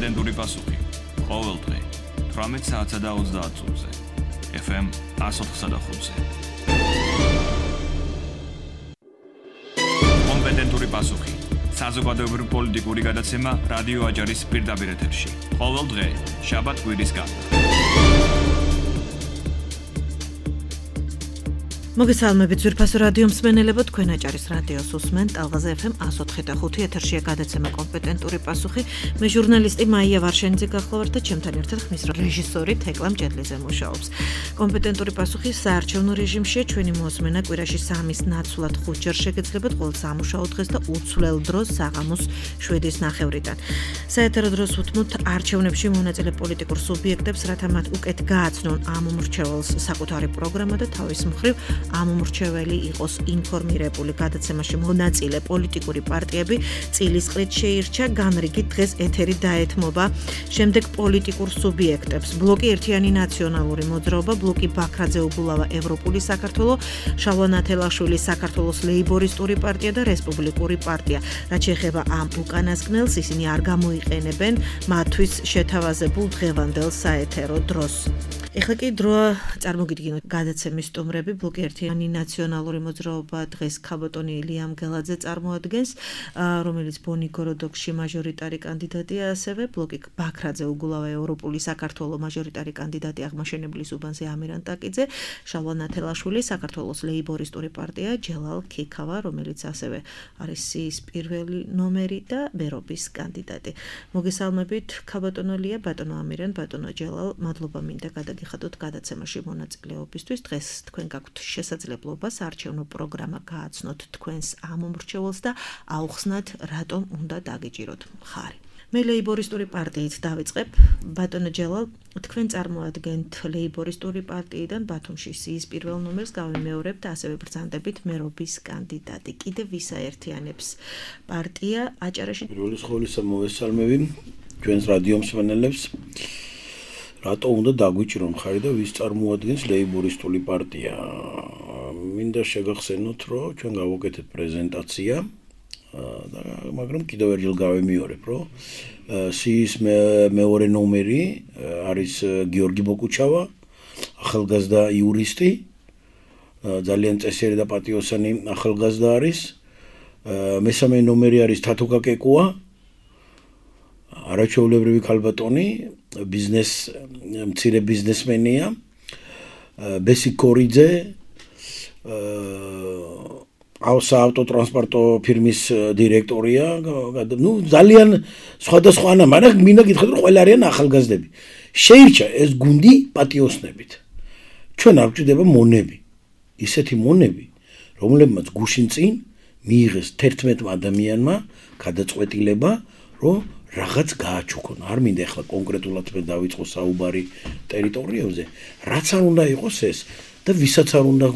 კომპეტენტური პასუხი. ყოველ დღე 18 საათსა და 30 წუთზე. FM 104.5-ზე. კომპეტენტური პასუხი. საზოგადოებრივი პოლიტიკური გადაცემა რადიო აჯარის პირდაპირ ეთერში. ყოველ დღე, შაბათ-კვირის გარდა. მოგესალმებით ძვირფასო რადიო მსმენელებო, თქვენ აჭარის რადიოს უსმენთ ტალღაზე FM 104.5 ეთერშია გადაცემა კომპეტენტური პასუხი. მე ჟურნალისტი მაია ვარშენიძე გახლავართ და ჩემთან ერთად ხმის რეჟისორი თეკლა მჭედლიძე მუშაობს. კომპეტენტური პასუხი საარჩევნო რეჟიმშია, ჩვენი მოსმენა კვირაში 3-ის ნაცვლად 5 ჯერ შეგეძლებათ ყოველ სამუშაო დღეს და უცვლელ დროს საღამოს 7-ის ნახევრიდან. საეთერო დროს უთმოთ არჩევნებში მონაწილე პოლიტიკურ სუბიექტებს, რათა მათ უკეთ გააცნონ ამ მომრჩეველს საკუთარი პროგრამა და თავის მხრივ ამ მომრჩეველი იყოს ინფორმირებული. გადაცემაში მონაწილე პოლიტიკური პარტიები წილისყრით შეირჩა, განრიგით დღეს ეთერი დაეთმობა შემდეგ პოლიტიკურ სუბიექტებს: ბლოკი ერთიანი ნაციონალური მოძრაობა, ბლოკი ბაქრაძე უბულავა ევროპული საქართველო, შალვა ნათელაშვილი საქართველოს ლეიბორისტური პარტია და რესპუბლიკური პარტია. რაც შეეხება ამ უკანასკნელს, ისინი არ გამოიყენებენ მათთვის შეთავაზებულ დღევანდელ საეთერო დროს. ეხლა კი დროა წარმოგიდგინოთ გადაცემის სტუმრები. ბლოკი ერთიანი ნაციონალური მოძრაობა დღეს ქაბოტონი ილია მგელაძე წარმოადგენს, რომელიც ბონი გოროდოკში მაჟორიტარი კანდიდატია, ასევე ბლოკი ბაქრაძე უგულავა ევროპული საქართველო მაჟორიტარი კანდიდატი აღმაშენებლის უბანზე ამირან ტაკიძე, შალვა ნათელაშვილი საქართველოს ლეიბორისტური პარტია, ჯელალ ქიქავა, რომელიც ასევე არის სიის პირველი ნომერი და მერობის კანდიდატი. მოგესალმებით ქაბოტონო ლია, ბატონო ამირან, ბატონო ჯელალ, მადლობა მინდა გადაგიხადოთ გადაცემაში მონაწილეობისთვის. დღეს თქვენ გაქვთ შესაძლებლობა საარჩევნო პროგრამა გააცნოთ თქვენს ამ მომრჩეველს და აუხსნათ, რატომ უნდა დაგიჭიროთ მხარი. მე ლეიბორისტური პარტიით დავიწყებ. ბატონო ჯელალ, თქვენ წარმოადგენთ ლეიბორისტური პარტიიდან ბათუმში სიის პირველ ნომერს გავიმეორებთ, ასევე ბრძანდებით მერობის კანდიდატი. კიდევ ვის აერთიანებს პარტია აჭარაში? პირველი სხოლისა მოვესალმები ჩვენს რადიო მსმენელებს. რატო უნდა დაგვიჭირო მხარი და ვის წარმოადგენს ლეიბორისტული პარტია? მინდა შეგახსენოთ, რომ ჩვენ გავუკეთეთ პრეზენტაცია, მაგრამ კიდევ ერთხელ გავიმეორებ, რომ სიის მეორე ნომერი არის გიორგი ბოკუჩავა, ახალგაზრდა იურისტი, ძალიან წესიერი და პატიოსანი ახალგაზრდა არის. მესამე ნომერი არის თათუკა კეკუა, არაჩვეულებრივი ქალბატონი, მცირე ბიზნესმენია, ბესი კორიძე, საავტოტრანსპორტო ფირმის დირექტორია, ძალიან სხვადასხვა, მაგრამ მინდა გითხრათ, რომ ყველა არიან ახალგაზრდები. შეირჩა ეს გუნდი პატიოსნებით. ჩვენ არ გვჭირდება მონები, ისეთი მონები, რომლებმაც გუშინ წინ მიიღეს 11 ადამიანმა გადაწყვეტილება, რომ რაღაც გააჩუქონ. არ მინდა ახლა კონკრეტულად მე დავიწყო საუბარი ტერიტორიებზე, რაც არ უნდა იყოს ეს და ვისაც არ უნდა,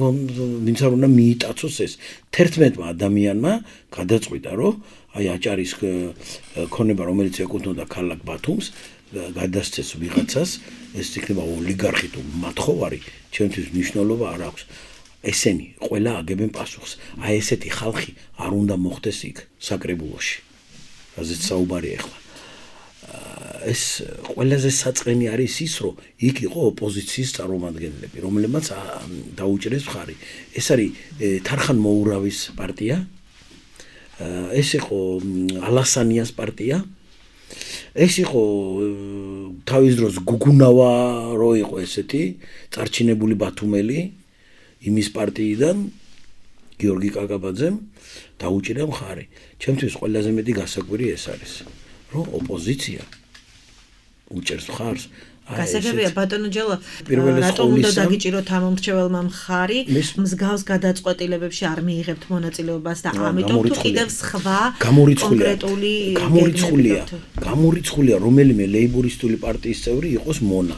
ვინც არ უნდა მიიტაცოს ეს. 11 ადამიანმა გადაწყვიტა, რომ აი აჭარის ქონება, რომელიც ეკუთვნოდა ქალაქ ბათუმს, გადასცეს ვიღაცას, ეს იქნება ოლიგარქი თუ მათხოვარი, ჩემთვის მნიშვნელობა არ აქვს. ესენი ყველა აგებენ პასუხს. აი ესეთი ხალხი არ უნდა მოხდეს იქ საკრებულოში. რაზეც საუბარი ახლა. ეს ყველაზე საწყენი არის ის, რომ იქ იყო ოპოზიციის წარმომადგენლები, რომლებმაც დაუჭირეს მხარი. ეს არის თარხან მოურავის პარტია, ეს იყო ალასანიას პარტია, ეს იყო თავის დროს გუგუნავა, რო იყო ესეთი წარჩინებული ბათუმელი იმის პარტიიდან, გიორგი კაკაბაძემ დაუჭირა მხარი. ჩემთვის ყველაზე მეტი გასაკვირი ეს არის, რომ ოპოზიცია უჭერს მხარს. გასაგებია ბატონო ჯელა, რატომ უნდა დაგიჭიროთ ამ მომრჩეველმა მხარი? მსგავს გადაწყვეტილებებში არ მიიღებთ მონაწილეობას და ამიტომ თუ კიდევ სხვა გამორიცხულია რომელიმე ლეიბორისტული პარტიის წევრი იყოს მონა,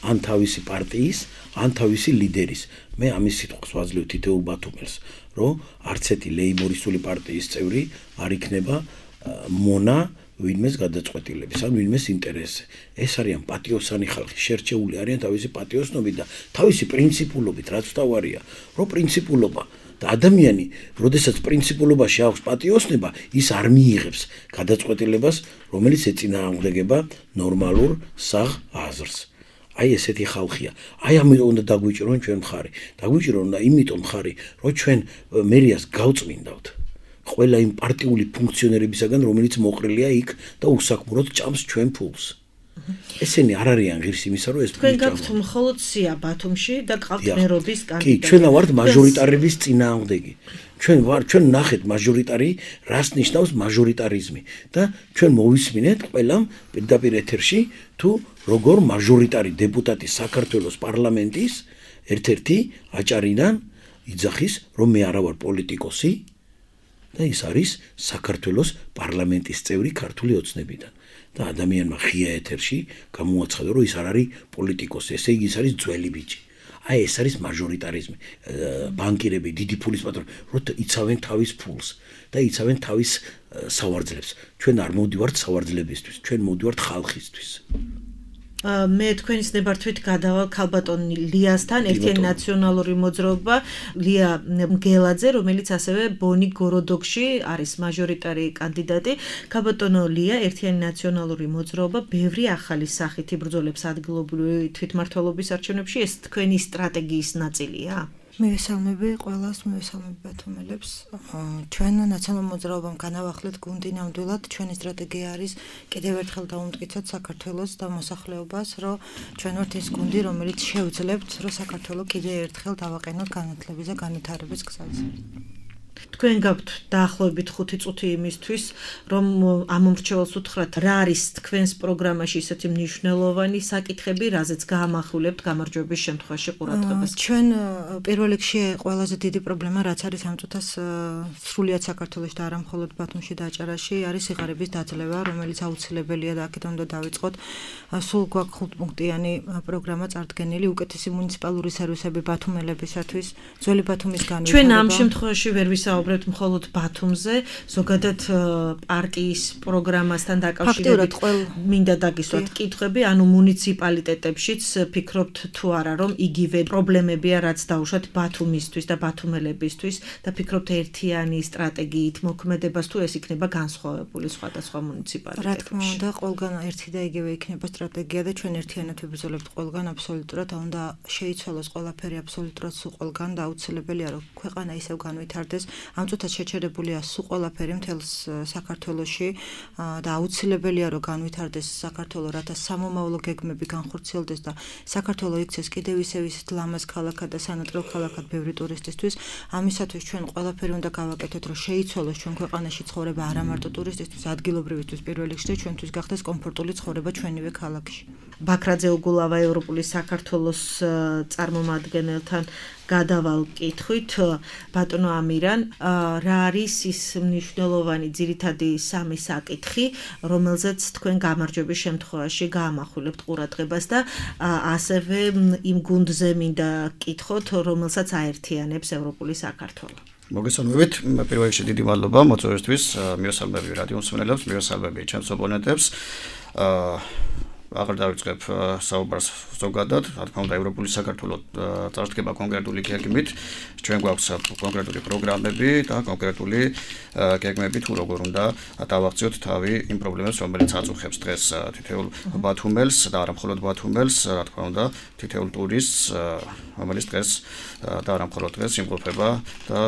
ან თავისი პარტიის, ან თავისი ლიდერის. მე ამის სიტყვას ვაძლევ თითოეულ ბათუმელს, რომ არც ერთი ლეიბორისტული პარტიის წევრი არ იქნება მონა ვინმეს გადაწყვეტილების, ან ვინმეს ინტერესზე. ეს არიან პატიოსანი ხალხი, შერჩეული არიან თავისი პატიოსნობით და თავისი პრინციპულობით, რაც თავარია, რომ პრინციპულობა და ადამიანი, როდესაც პრინციპულობაში აქვს პატიოსნება, ის არ მიიღებს გადაწყვეტილებას, რომელიც ეწინააღმდეგება ნორმალურ საღ აზრს. აი ესეთი ხალხია. აი ამიტომ უნდა დაგვიჭირონ ჩვენ მხარი. დაგვიჭირონ და იმიტომ მხარი, რომ ჩვენ მერიას გავწმინდავთ. ყველა იმ პარტიული ფუნქციონერებისაგან, რომელიც მოყრილია იქ და უსაქმროდ ჭამს ჩვენ ფულს. ესენი არ არიან ღირს იმისა, რომ ეს თქვენ გაქვთ მხოლოდ სია ბათუმში და გყავთ მერობის კანდიდატი. კი, ჩვენ ვართ მაჟორიტარების წინააღმდეგი. ჩვენ ნახეთ მაჟორიტარი, რას ნიშნავს მაჟორიტარიზმი და ჩვენ მოვისმინეთ ყველამ პირდაპირ ეთერში თუ როგორ მაჟორიტარი დეპუტატი საქართველოს პარლამენტის ერთ-ერთი აჭარიდან იძახის, რომ მე არა ვარ პოლიტიკოსი და ის არის საქართველოს პარლამენტის წევრი ქართული ოცნებიდან. და ადამიანმა ღია ეთერში გამოაცხადა, რომ ის არ არის პოლიტიკოსი, ესე იგი ის არის ძველი ბიჭი. აი ეს არის მაჟორიტარიზმი. ბანკირები, დიდი ფულის პატრონები, რომ იცავენ თავის ფულს და იცავენ თავის სავარძლებს. ჩვენ არ მოვდივართ სავარძლებისთვის, ჩვენ მოვდივართ ხალხისთვის. მე თქვენის ნებართვით გადავალ ქალბატონ ლიასთან, ერთიანი ნაციონალური მოძრაობა, ლია მგელაძე, რომელიც ასევე ბონი გოროდოკში არის მაჟორიტარი კანდიდატი. ქალბატონო ლია, ერთიანი ნაციონალური მოძრაობა ბევრი ახალი სახით იბრძოლებს ადგილობრივი თვითმმართველობის არჩევნებში, ეს თქვენი სტრატეგიის ნაწილია? მივესალმები ყველას, მივესალმები ბათუმელებს. ჩვენ ნაციონალურ მოძრაობამ განავახლეთ გუნდი ნამდვილად. ჩვენი სტრატეგია არის კიდევ ერთხელ დავუმტკიცოთ საქართველოს და მოსახლეობას, რომ ჩვენ ვართ ეს გუნდი, რომელიც შევძლებთ, რომ საქართველო კიდევ ერთხელ დავაყენოთ განათლების და განვითარების გზაზე. თქვენ გაქვთ დაახლოებით 5 წუთი იმისთვის, რომ ამ მომრჩეველს უთხრათ, რა არის თქვენს პროგრამაში ისეთი მნიშვნელოვანი საკითხები, რაზეც გაამახვილებთ გამარჯვების შემთხვევაში ყურადღებას. ჩვენ პირველ რიგში ყველაზე დიდი პრობლემა, რაც არის ამ წუთას სრულიად საქართველოში და არა მხოლოდ ბათუმში და აჭარაში, არის სიღარიბის დაძლევა, რომელიც აუცილებელია და აქედან უნდა დავიწყოთ. სულ გვაქვს 5-პუნქტიანი პროგრამა წარდგენილი, უკეთესი მუნიციპალური სერვისები ბათუმელებისათვის, ძველი ბათუმის განვითარება. ჩვენ ამ შემთხვევაში ვერ ვისაუბრებთ მხოლოდ ბათუმზე, ზოგადად პარტიის პროგრამასთან დაკავშირებით მინდა დაგისვათ კითხვები, ანუ მუნიციპალიტეტებშიც ფიქრობთ თუ არა, რომ იგივე პრობლემებია, რაც დაუშვათ ბათუმისთვის და ბათუმელებისთვის და ფიქრობთ ერთიანი სტრატეგიით მოქმედებას თუ ეს იქნება განსხვავებული სხვადასხვა მუნიციპალიტეტებში. რა თქმა უნდა, ყველგან ერთი და იგივე იქნება სტრატეგია და ჩვენ ერთიანად ვიბრძოლებთ ყველგან აბსოლუტურად, უნდა შეიცვალოს ყველაფერი აბსოლუტურად სულ ყველგან და აუცილებელია, რომ ქვეყანა ისევ განვითარდეს. ამ წუთად შეჩერებულია სულ ყველაფერი მთელს საქართველოში და აუცილებელია, რომ განვითარდეს საქართველო, რათა სამომავლო გეგმები განხორციელდეს და საქართველო იქცეს კიდევ ისევ ისეთ ლამაზ ქალაქად და სანატრელ ქალაქად ბევრი ტურისტისთვის. ამისათვის ჩვენ ყველაფერი უნდა გავაკეთოთ, რომ შეიცვალოს ჩვენ ქვეყანაში ცხოვრება არა მარტო ტურისტისთვის, ადგილობრივისთვის პირველ რიგში, ჩვენთვის გახდეს კომფორტული ცხოვრება ჩვენივე ქალაქში. ბაქრაძე უგულავა, ევროპული საქართველოს წარმომადგენელთან გადავალ კითხვით, ბატონო ამირან, რა არის ის მნიშვნელოვანი ძირითადი სამი საკითხი, რომელზეც თქვენ გამარჯვების შემთხვევაში გაამახვილებთ ყურადღებას და ასევე იმ გუნდზე მინდა კითხოთ, რომელსაც აერთიანებს ევროპული საქართველო. მოგესალმებით, პირველ რიგში დიდი მადლობა მოწვევისთვის, მივესალმები რადიო მსმენელებს, მივესალმები ჩემს ოპონენტებს. აღარ დავიწყებ საუბარს ზოგადად, რა თქმა უნდა, ევროპული საქართველო წარსდგება კონკრეტული გეგმით, ჩვენ გვაქვს კონკრეტული პროგრამები და კონკრეტული გეგმები თუ როგორ უნდა დავაღწიოთ თავი იმ პრობლემებს, რომელიც აწუხებს დღეს თითოეულ ბათუმელს და არა მხოლოდ ბათუმელს, რა თქმა უნდა, თითოეულ ტურისტს, რომელიც დღეს და არა მხოლოდ დღეს იმყოფება და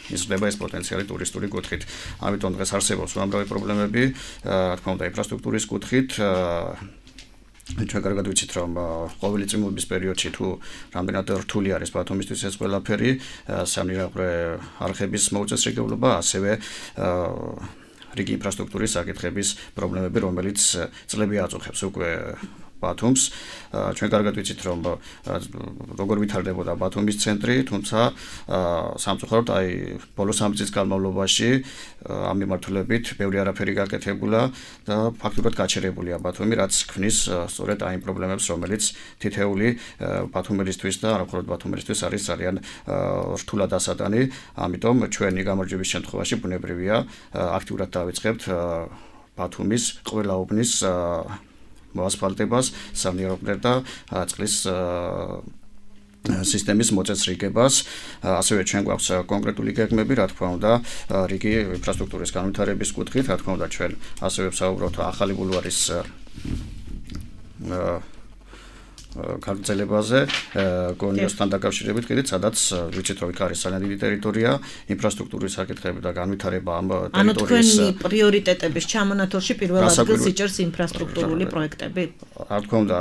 იზრდება ეს პოტენციალი ტურისტული კუთხით. ამიტომ დღეს არსებობს უამრავი პრობლემები, რა თქმა უნდა, ინფრასტრუქტურის კუთხით. ჩვენ კარგად ვიცით, რომ ყოველი წვიმების პერიოდში თუ რამდენად რთული არის ბათუმისთვის ეს ყველაფერი, სამნირაყრე არხების მოუწესრიგებლობა, ასევე რიგი ინფრასტრუქტურის საკითხების პრობლემები, რომელიც წლები აწუხებს უკვე ბათუმს. ჩვენ კარგად ვიცით, რომ როგორ ვითარდებოდა ბათუმის ცენტრი, თუმცა სამწუხაროდ აი ბოლო 3 წლის განმავლობაში ამ მიმართულებით ბევრი არაფერი გაკეთებულა და ფაქტურად გაჩერებულია ბათუმი, რაც ქმნის სწორედ აი იმ პრობლემებს, რომელიც თითეული ბათუმელისთვის და არა მხოლოდ ბათუმელისთვის არის ძალიან რთულად ასატანი. ამიტომ ჩვენი გამარჯვების შემთხვევაში ბუნებრივია აქტიურად დავიწყებთ ბათუმის ყველა უბნის მოასფალტებას, სამნიაყრე და წყლის სისტემის მოწესრიგებას, ასევე ჩვენ გვაქვს კონკრეტული გეგმები, რა თქმა უნდა, რიგი ინფრასტრუქტურის განვითარების კუთხით, რა თქმა უნდა, ჩვენ ასევე ვსაუბრობთ ახალი ბულვარის გაგრძელებაზე, გონიოსთან დაკავშირებით, კიდეც სადაც ვიცით, რომ იქ არის ძალიან დიდი ტერიტორია, ინფრასტრუქტურის საკითხები და განვითარება ამ ტერიტორიის ანუ თქვენი პრიორიტეტების ჩამონათვალში პირველ ადგილს იჭერს ინფრასტრუქტურული პროექტები. რა თქმა უნდა,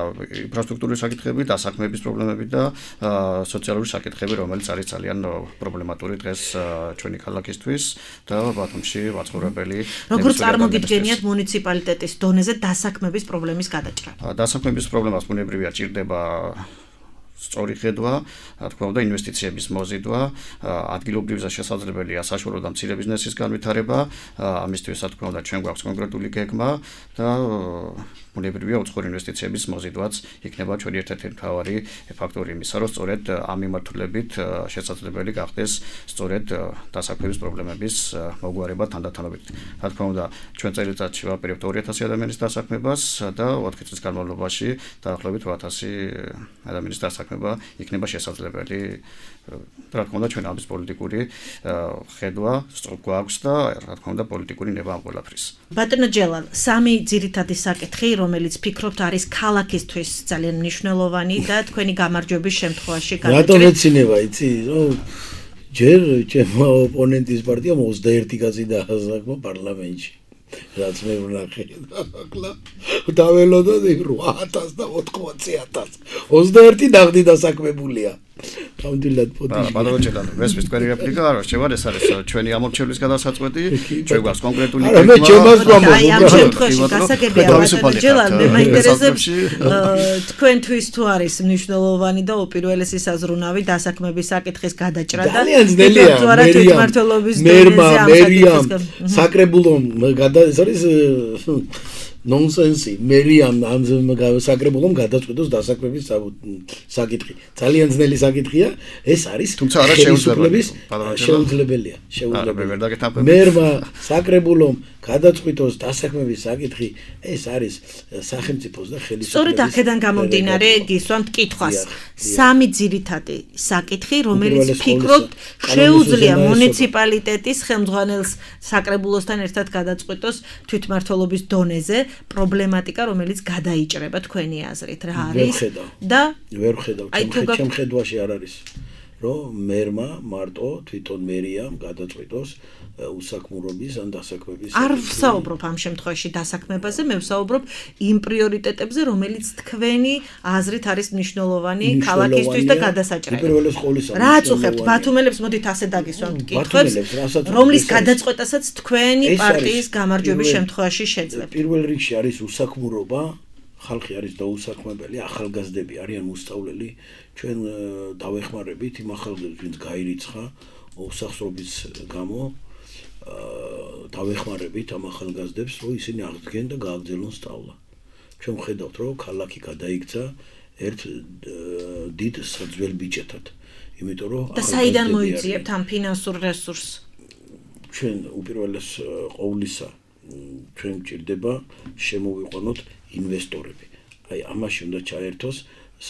ინფრასტრუქტურის საკითხები, დასაქმების პრობლემები და სოციალური საკითხები, რომელიც არის ძალიან პრობლემატური დღეს ჩვენი ქალაქისთვის და ბათუმში ვაცხოვრებელი. როგორ წარმოგიდგენიათ მუნიციპალიტეტის დონეზე დასაქმების პრობლემის გადაჭრა? დასაქმების პრობლემას ბუნებრივია ჭირდება სწორი ხედვა, რა თქმა უნდა, ინვესტიციების მოზიდვა, ადგილობრივ შესაძლებელია საშუალო და მცირე ბიზნესის განვითარება, ამისთვის რა თქმა უნდა, ჩვენ გვაქვს კონკრეტული გეგმა და ბუნებრივია უცხოური ინვესტიციების მოზიდვაც იქნება ჩვენი ერთ-ერთი მთავარი ფაქტორი იმისა, რომ სწორედ ამ მიმართულებით შესაძლებელი გახდეს სწორედ დასაქმების პრობლემების მოგვარება თანდათანობით. რა თქმა უნდა, ჩვენ წელიწადში ვაპირებთ 2000 ადამიანის დასაქმებას და 4 წლის განმავლობაში დაახლოებით 8000 ადამიანის დასაქმება იქნება შესაძლებელი. რა თქმა უნდა, ჩვენ ამის პოლიტიკური ხედვა გვაქვს და რა თქმა უნდა, პოლიტიკური ნება ამ ყველაფრის. ბატონო ჯელალ, სამი ძირითადი საკითხი, რომელიც ფიქრობთ არის ქალაქისთვის ძალიან მნიშვნელოვანი და თქვენი გამარჯვების შემთხვევაში გადაჭრით. რატომ ეცინება, იცი, რომ ჯერ ჩემო ოპონენტის პარტიამ 21 კაცი დაასახმა პარლამენტში. რაც მე ვნახე ახლა დაველოდოთ 8000 და 80000. 21 ნაღდი დასაქმებულია. გამდილად პოდიში. ბატონო ჯელალ, მესმის თქვენი რეპლიკა არა, შევა ეს არის ჩვენი ამორჩევლის გადასაწყვეტი, ჩვენ გვაქვს კონკრეტული გეგმა. მე ჩემს გვამბობ. აი ამ შემთხვევაში გასაგებია ბატონო ჯელალ, მე მაინტერესებს თქვენთვის თუ არის მნიშვნელოვანი და უპირველესი საზრუნავი დასაქმების საკითხის გადაჭრა და ძალიან ძნელია. მერიამ საკრებულომ ეს არის ნონსენსი. მერიამ ამ საკრებულომ გადაწყვეტოს დასაქმების საკითხი. ძალიან ძნელი საკითხია. ეს არის თუმცა არა შეუძლებელია. მერმა საკრებულომ გადაწყვეტოს დასაქმების საკითხი. ეს არის სახელმწიფოს და ხელისუფლების. სწორედ აქედან გამომდინარე გისვამთ კითხვას. სამი ძირითადი საკითხი, რომელიც ფიქრობთ შეუძლია მუნიციპალიტეტის ხელმძღვანელს საკრებულოსთან ერთად გადაწყვეტოს თვითმმართველობის დონეზე პრობლემატიკა, რომელიც გადაიჭრება თქვენი აზრით, რა არის და ვერ ხედავ, ჩემ ხედვაში არ არის, რომ მერმა მარტო თვითონ მერიამ გადაწყვეტოს უსაქმურობის ან დასაქმების. არ ვსაუბრობ ამ შემთხვევაში დასაქმებაზე, მე ვსაუბრობ იმ პრიორიტეტებზე, რომელიც თქვენი აზრით არის მნიშვნელოვანი ქალაქისთვის და გადასაჭრელი. რა აწუხებთ ბათუმელებს, მოდით ასე დაგისვამთ კითხვებს, რომლის გადაწყვეტასაც თქვენი პარტიის გამარჯვების შემთხვევაში შეძლებთ. პირველ რიგში არის უსაქმურობა, ხალხი არის დაუსაქმებელი, ახალგაზრდები არიან მოსწავლელი, ჩვენ დავეხმარებით იმ ახალგაზრდებს, ვინც გაირიცხა უსახსრობის გამო. დავეხმარებით ამ ახალგაზრდებს, რომ ისინი აღდგენ და გააგრძელონ სწავლა. ჩვენ ვხედავთ, რომ ქალაქი გადაიქცა ერთ დიდ საძველ ბიჭეთად. იმიტომ რომ და საიდან მოიძიებთ ამ ფინანსურ რესურსს? ჩვენ უპირველეს ყოვლისა ჩვენ გვჭირდება შემოვიყვანოთ ინვესტორები. აი ამაში უნდა ჩაერთოს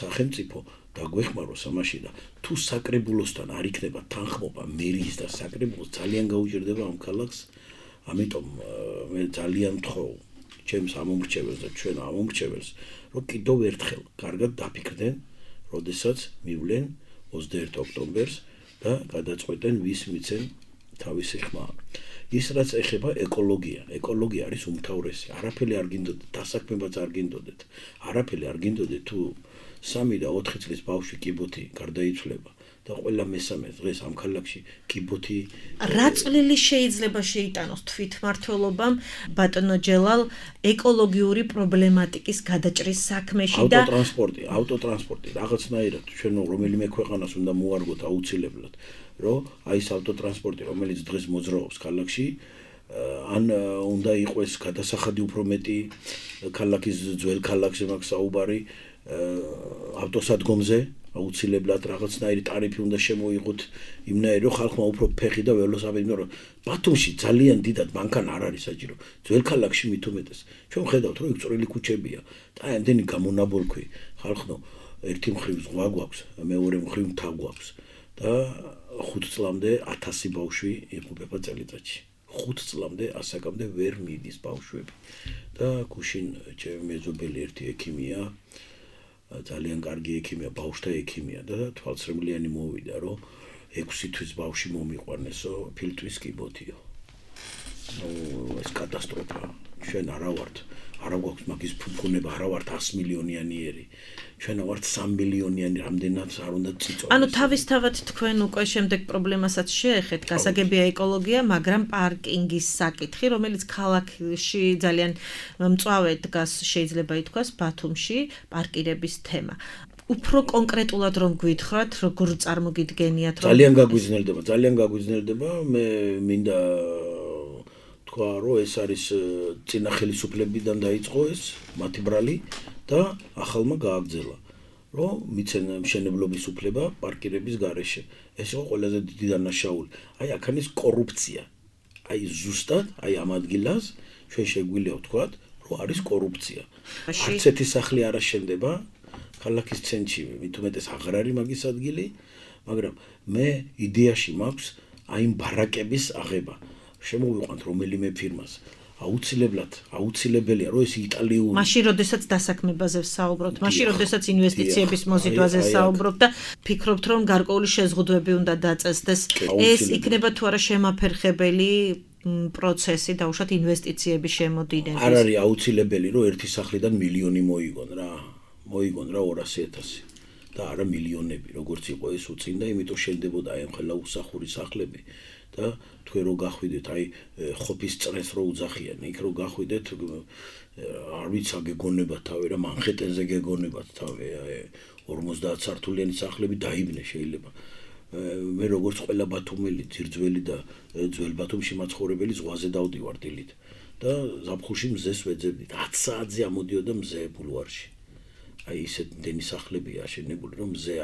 სახელმწიფო და გვეხმაროს ამაში და თუ საკრებულოსთან არ იქნება თანხმობა მერის და საკრებულოს ძალიან გაუჭირდება ამ ქალაქს. ამიტომ მე ძალიან მთხოვ ჩემს ამომრჩეველს და ჩვენ ამომრჩეველს, რომ კიდევ ერთხელ კარგად დაფიქრდნენ, როდესაც მივლენ 21 ოქტომბერს და გადაწყვეტენ ვის მიცენ თავისი ხმა. ის რაც ეხება ეკოლოგია არის უმთავრესი. არაფერი არ გინდოდეთ, დასაქმებაც არ გინდოდეთ. არაფერი არ გინდოდეთ თუ 3 და 4 წლის ბავშვი კიბოთი გარდაიცვლება და ყველა მესამე დღეს ამ ქალაქში კიბოთი. რა წვლილი შეიძლება შეიტანოს თვითმმართველობამ ბატონო ჯელალ ეკოლოგიური პრობლემატიკის გადაჭრის საქმეში და ავტოტრანსპორტი რაღაცნაირად ჩვენ რომელიმე ქვეყანას უნდა მოარგოთ აუცილებლად, რომ აი ეს ავტოტრანსპორტი რომელიც დღეს მოძრაობს ქალაქში ან უნდა იყოს გადასახადი უფრო მეტი ქალაქის ძველ ქალაქზე მაქვს საუბარი ავტოსადგომზე აუცილებლად რაღაცნაირი ტარიფი უნდა შემოიღოთ იმნაირი რომ ხალხმა უფრო ფეხი და ველოსიპედი, მაგრამ ბათუმში ძალიან დიდად მანქანა არ არის საჭირო. ძველ ქალაქში მით უმეტეს. ჩვენ ხედავთ რომ იქ წვრილი ქუჩებია და ამდენი გამონაბოლქვი ხალხო ერთი მხრივ ზღვა გვაქვს, მეორე მხრივ მთა გვაქვს და 5 წლამდე 1000 ბავშვი იღუპება წელიწადში. 5 წლამდე ასაკამდე ვერ მიდის ბავშვები. და გუშინ ჩემი მეზობელი ერთი ექიმია, ძალიან კარგი ექიმია, ბავშვთა ექიმია და თვალსრემლიანი მოვიდა, რომ 6 თვის ბავშვი მომიყვანესო, ფილტვის კიბოთიო. ეს კატასტროფა. ჩვენ არა გვაქვს მაგის ფუფუნება, არა ვართ 100 მილიონიანი. ჩვენ ვართ 3 მილიონიანი, რამდენად არ უნდა წიწოს. ანუ თავისთავად თქვენ უკვე შემდეგ პრობლემასაც შეეხეთ, გასაგებია ეკოლოგია, მაგრამ პარკინგის საკითხი, რომელიც ქალაქში ძალიან მწვავედ დგას, შეიძლება ითქვას, ბათუმში პარკირების თემა. უფრო კონკრეტულად რომ გვითხრათ, როგორ წარმოგიდგენიათ, რომ ძალიან გაგვიზნელდება, მე მინდა თქვა, რომ ეს არის წინა ხელისუფლებიდან დაიწყო ეს მათი ბრალი და ახალმა გააგრძელა, რომ მიცენ მშენებლობის უფლება პარკირების გარეშე. ეს იყო ყველაზე დიდი დანაშაული. აი აქ არის კორუფცია. აი ზუსტად, აი ამ ადგილას ჩვენ შეგვიძლია ვთქვათ, რომ არის კორუფცია. არც ერთი სახლი არ აშენდება ქალაქის ცენტრში, მით უმეტეს აღარ არის მაგის ადგილი, მაგრამ მე იდეაში მაქვს აი იმ ბარაკების აღება. შემოვიყვანთ რომელიმე ფირმას. აუცილებელია, რომ ეს იტალიური. მაშინ, როდესაც დასაქმებაზე ვსაუბრობთ, მაშინ, როდესაც ინვესტიციების მოზიდვაზე ვსაუბრობთ და ფიქრობთ, რომ გარკვეული შეზღუდვები უნდა დაწესდეს, ეს იქნება თუ არა შემაფერხებელი პროცესი დაუშვათ ინვესტიციების შემოდინების. არ არის აუცილებელი, რომ ერთი სახლიდან მილიონი მოიგონ რა 200,000 და არა მილიონები, როგორც იყო ეს უწინდა, იმიტომ შენდებოდა აი ამ ხელა უსახური სახლები და თქვენ რო გახვიდეთ აი ხოფის წრეს რო უძახიან, იქ რო გახვიდეთ არ ვიცი გეგონებათ თავი რა მანჰეტენზე გეგონებათ თავი აი 50 სართულიანი სახლები დაიბნე შეიძლება. მე როგორც ყველა ბათუმელი, ძირძველი და ძველ ბათუმში მაცხოვრებელი ზღვაზე დავდივარ დილით და ზაფხულში მზეს ვეძებდით. 10 საათზე ამოდიოდა მზე ბულვარში. აი ისეთ დენი სახლებია აშენებული, რომ მზე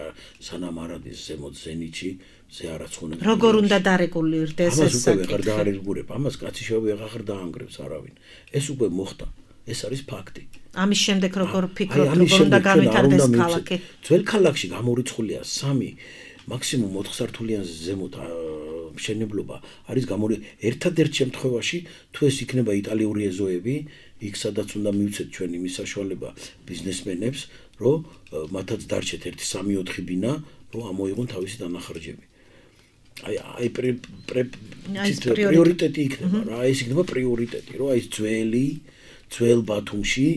სანამ არ არის ზემოთ ზენიტში, მზე არაცხონა. როგორ უნდა დარეგულირდეს ეს საკითხი? ამას უკვე ვეღარ დაარეგულირებ, ამას კაცი შევეღარ დაანგრევს არავინ. ეს უკვე მოხდა. ეს არის ფაქტი. ამის შემდეგ როგორ ფიქრობთ, როგორ უნდა განვითარდეს ქალაქი? ძველ ქალაქში გამორიცხულია 3 მაქსიმუმ 4 სართულიანზე ზემოთ მშენებლობა არის ერთადერთ შემთხვევაში თუ ეს იქნება იტალიური ეზოები, იქ სადაც უნდა მივცეთ ჩვენ იმის საშუალება ბიზნესმენებს, რომ მათაც დარჩეთ 1-3-4 ბინა, რომ ამოიღონ თავისი დანახარჯები. აი პრიორიტეტი იქნება რა, ეს იქნება პრიორიტეტი, რომ აი ძველ ბათუმში,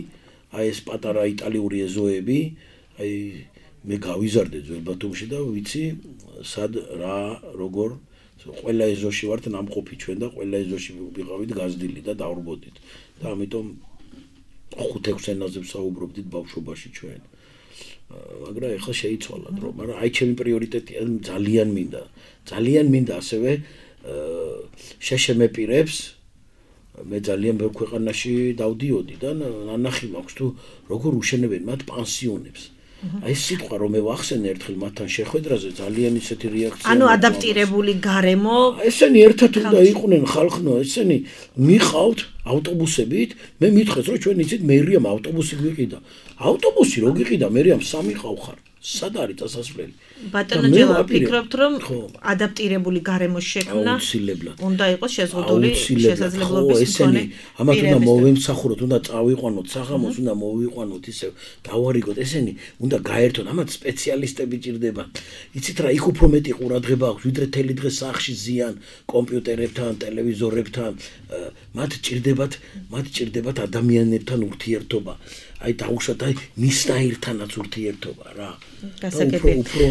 აი ეს პატარა იტალიური ეზოები, აი მე გავიზარდე ძველ ბათუმში და ვიცი სად რა როგორ ყველა ეზოში ვართ ნამყოფი ჩვენ და ყველა ეზოში ვიყავით გაზრდილი და დავრბოდით და ამიტომ 5-6 ენაზე ვსაუბრობდით ბავშვობაში ჩვენ. მაგრამ ეხლა შეიცვალა დრო, მაგრამ აი ჩემი პრიორიტეტია ძალიან მინდა ასევე შეშემეპირებს მე ძალიან ბევრ ქვეყანაში დავდიოდი და ნანახი მაქვს თუ როგორ უშენებენ მათ პანსიონებს. აი სიტყვა რომ მე ვახსენე ერთხელ მათთან შეხვედრაზე ძალიან ისეთი რეაქცია. ანუ ადაპტირებული გარემო. ესენი ერთად უნდა იყვნენ ხალხნო, ესენი მიყავთ ავტობუსებით, მე მითხრეს რომ ჩვენ იცით მერიამ ავტობუსი გვიყიდა. ავტობუსი რო გიყიდა მერიამ 3 ყავხარ. სად არის წასასვლელი? ბატონო ჯელა, ფიქრობთ რომ ადაპტირებული გარემო შექმნა უნდა იყოს შეზღუდული შესაძლებლობის მქონე. ამათ უნდა მოვემსახუროთ, უნდა წავიყვანოთ საღამოს, უნდა მოვიყვანოთ ისევ დავარიგოთ, ესენი უნდა გაერთონ, ამათ სპეციალისტები ჭირდებათ. იცით რა, იქ უფრო მეტი ყურადღება აქვს, ვიდრე თელი დღე სახლში ზიან კომპიუტერებთან, ტელევიზორებთან, მათ ჭირდებათ ადამიანებთან ურთიერთობა. აი დაუშვათ აი მისნაირთანაც ურთიერთობა რა. გასაგებია. უფრო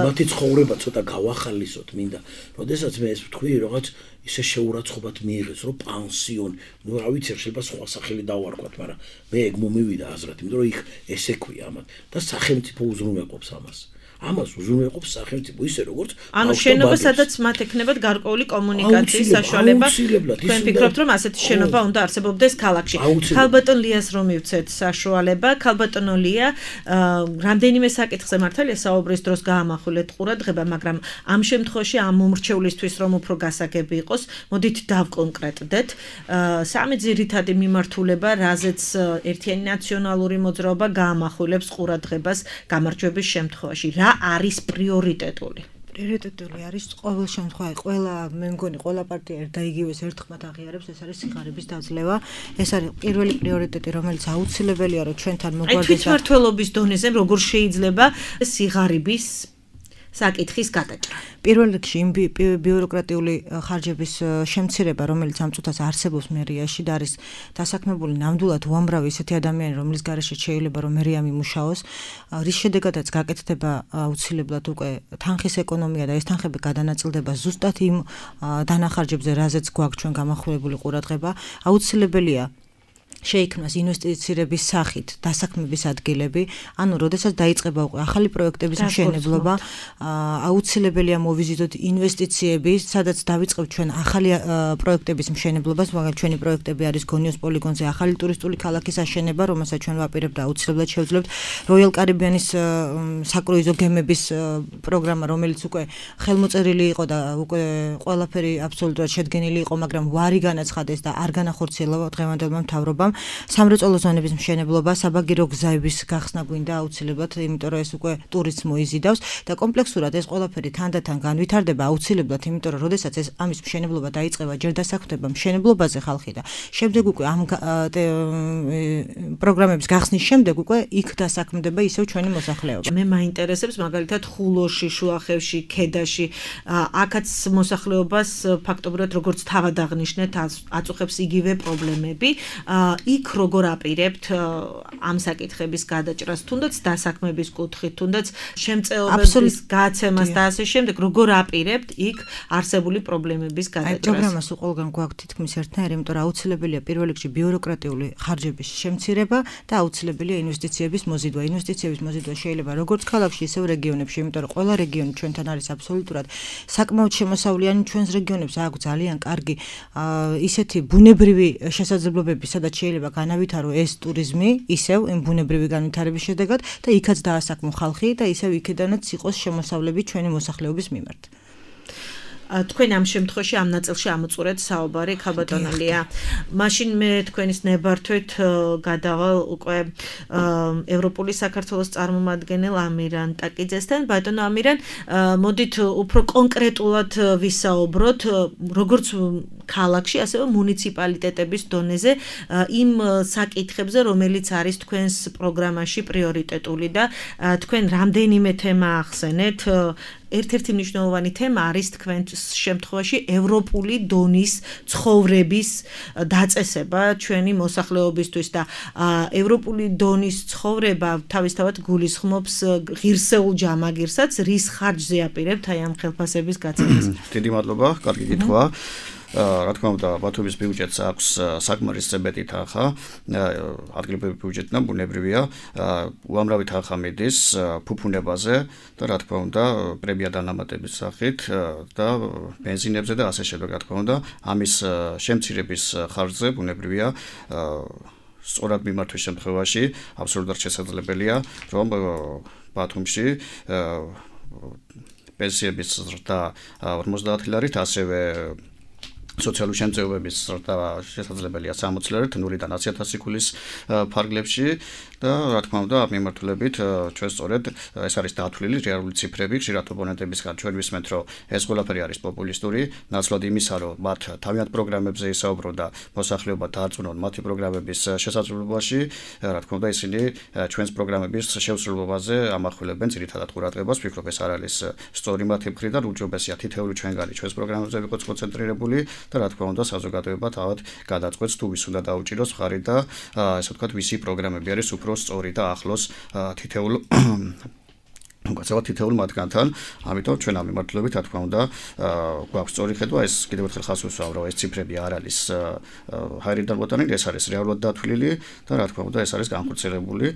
მათი ცხოვრება ცოტა გავახალისოთ მინდა. როდესაც მე ეს ვთქვი, რაღაც ისე შეურაცხყოფად მიიღეს, რომ პანსიონი, ნუ რა ვიცი, შეიძლება სხვა სახელი დავარქვათ, მაგრამ მე ეგ მომივიდა აზრად, იმიტომ რომ იქ ესე ქვია ამათ და სახელმწიფო უზრუნველყოფს ამას. ამას უზრუნველყოფს სახელმწიფო ისე როგორც ანუ შენობა სადაც მათ ექნებათ გარკვეული კომუნიკაციის საშუალება თქვენ ფიქრობთ რომ ასეთი შენობა უნდა არსებობდეს ქალაქში ქალბატონ ლიას რომ მივცეთ საშუალება ქალბატონო ლია რამდენიმე საკითხზე მართალია საუბრის დროს გაამახვილეთ ყურადღება მაგრამ ამ შემთხვევაში ამ მომრჩევლისთვის რომ უფრო გასაგები იყოს მოდით დავკონკრეტდეთ სამი ძირითადი მიმართულება რაზეც ერთიანი ნაციონალური მოძრაობა გაამახვილებს ყურადღებას გამარჯვების შემთხვევაში რა არის პრიორიტეტული პრიორიტეტული არის ყოველ შემთხვევაში ყველა მე მგონი ყველა პარტია და იგივეს ერთხმად აღიარებს ეს არის სიღარიბის დაძლევა ეს არის პირველი პრიორიტეტი რომელიც აუცილებელია რომ ჩვენთან მოგვარდეს თვითმმართველობის დონეზე როგორ შეიძლება სიღარიბის საკითხის გადაჭრა. პირველ რიგში იმ ბიუროკრატიული ხარჯების შემცირება, რომელიც ამ წუთას არსებობს მერიაში და არის დასაქმებული ნამდვილად უამრავი ისეთი ადამიანი, რომლის გარეშე შეიძლება რომ მერია მიმუშაოს, რის შედეგადაც გაკეთდება აუცილებლად უკვე თანხის ეკონომია და ეს თანხები გადანაწილდება ზუსტად იმ დანახარჯებზე, რაზეც გვაქვს ჩვენ გამახვილებული ყურადღება, აუცილებელია შეიქმნას ინვესტიციების სახით დასაქმების ადგილები, ანუ როდესაც დაიწყება უკვე ახალი პროექტების მშენებლობა, აუცილებელია მოვიზიტოთ ინვესტიციები, სადაც დავიწყებთ ჩვენ ახალი პროექტების მშენებლობას, მაგალითად ჩვენი პროექტები არის გონიოს პოლიგონზე ახალი ტურისტული ქალაქის აშენება, რომელსაც ჩვენ ვაპირებთ და აუცილებლად შევძლებთ როიალ კარიბიანის საკრუიზო გემების პროგრამა, რომელიც უკვე ხელმოწერილი იყო და უკვე ყველაფერი აბსოლუტურად შედგენილი იყო, მაგრამ ვარი განაცხადეს და არ განახორციელა დღევანდელმა მთავრობამ სამრეწველო ზონების მშენებლობა, საბაგირო გზების გახსნა გვინდა აუცილებლად, იმიტომ რომ ეს უკვე ტურიზმს მოიზიდავს და კომპლექსურად ეს ყველაფერი თანდათან განვითარდება აუცილებლად, იმიტომ რომ როდესაც ეს ამის მშენებლობა დაიწყება, ჯერ დასაქმდება მშენებლობაზე ხალხი და შემდეგ უკვე ამ პროგრამების გახსნის შემდეგ უკვე იქ დასაქმდება ისევ ჩვენი მოსახლეობა. მე მაინტერესებს მაგალითად ხულოში, შუახევში, ქედაში, აქაც მოსახლეობას ფაქტობრივად როგორც თავად აღნიშნეთ, აწუხებს იგივე პრობლემები. იქ როგორ აპირებთ ამ საკითხების გადაჭრას, თუნდაც დასაქმების კუთხით, თუნდაც შემწეობების გაცემას და ასე შემდეგ, როგორ აპირებთ იქ არსებული პრობლემების გადაჭრას? პროგრამას უყოლგან გვაქვს თითქმის ერთნაირი, იმიტომ რომ აუცილებელია პირველ რიგში ბიუროკრატიული ხარჯების შემცირება და აუცილებელია ინვესტიციების მოზიდვა. ინვესტიციების მოზიდვა შეიძლება როგორც ქალაქში, ისევ რეგიონებში, იმიტომ რომ ყველა რეგიონი ჩვენთან არის აბსოლუტურად საკმაოდ შემოსავლიანი, ჩვენს რეგიონებს აქვს ძალიან კარგი ისეთი ბუნებრივი შესაძლებლობები, სადაც შეიძლება განავითარო ეს ტურიზმი, ისევ იმ ბუნებრივი განვითარების შედეგად და იქაც დაასაქმო ხალხი და ისევ იქედანაც იყოს შემოსავლები ჩვენი მოსახლეობის მიმართ. თქვენ ამ შემთხვევაში ამ ნაწილში ამოწურეთ საუბარი ქალბატონალია. მაშინ მე თქვენის ნებართვით გადავალ უკვე ევროპული საქართველოს წარმომადგენელ ამირან ტაკიძესთან. ბატონო ამირან, მოდით უფრო კონკრეტულად ვისაუბროთ, როგორც ქალაქში, ასევე მუნიციპალიტეტების დონეზე იმ საკითხებზე, რომელიც არის თქვენს პროგრამაში პრიორიტეტული და თქვენ რამდენიმე თემა ახსენეთ. ერთ-ერთი მნიშვნელოვანი თემა არის თქვენს შემთხვევაში ევროპული დონის ცხოვრების დაწესება ჩვენი მოსახლეობისთვის და ევროპული დონის ცხოვრება თავისთავად გულისხმობს ღირსეულ ჯამაგირსაც, რის ხარჯზე აპირებთ აი ამ ხელფასების გაცემას. დიდი მადლობა, კარგი კითხვა. რა თქმა უნდა, ბათუმის ბიუჯეტს აქვს საკმარის წებეთი თანხა, ადგილობრივი ბიუჯეტი და ბუნებრივია, უამრავი თანხა მიდის ფუფუნებაზე და რა თქმა უნდა, პრემია დანამატების სახით და ბენზინებზე და ასე შემდეგ, რა თქმა უნდა, ამის შემცირების ხარჯზე ბუნებრივია სწორად მიმართვის შემთხვევაში აბსოლუტურად შესაძლებელია, რომ ბათუმში პენსიების ზრდა 50 ლარით, ასევე სოციალური შემწეობების ზრდა შესაძლებელია 60 ლარით, 0-დან 100,000 ქულის ფარგლებში და რა თქმა უნდა, ამ მიმართულებით ჩვენ სწორედ ეს არის დათვლილი რეალური ციფრები, ხშირად ოპონენტებისგან ჩვენ ვისმენთ, რომ ეს ყველაფერი არის პოპულისტური, ნაცვლად იმისა, რომ მათ თავიანთ პროგრამებზე ისაუბრონ და მოსახლეობა დაარწმუნონ მათი პროგრამების შესაძლებლობაში, რა თქმა უნდა, ისინი ჩვენს პროგრამების შესრულებაზე ამახვილებენ ძირითადად ყურადღებას, ვფიქრობ ეს არ არის სწორი მათი მხრიდან, უჯობესია თითეული ჩვენგანი ჩვენს პროგრამებზე ვიყოთ კონცენტრირებული და რა თქმა უნდა საზოგადოება თავად გადაწყვეტს თუ ვის უნდა დაუჭიროს მხარი და ესე ვთქვათ ვისი პროგრამები არის უფრო სწორი და ახლოს თითოეულ უკაცრავად თითოეულ მათგანთან, ამიტომ ჩვენ ამ მიმართულებით, რა თქმა უნდა, გვაქვს სწორი ხედვა, ეს კიდევ ერთხელ ხაზს ვუსვამ, რომ ეს ციფრები არ არის ჰაერიდან მოტანილი, ეს არის რეალურად დათვლილი და რა თქმა უნდა, ეს არის განხორციელებული,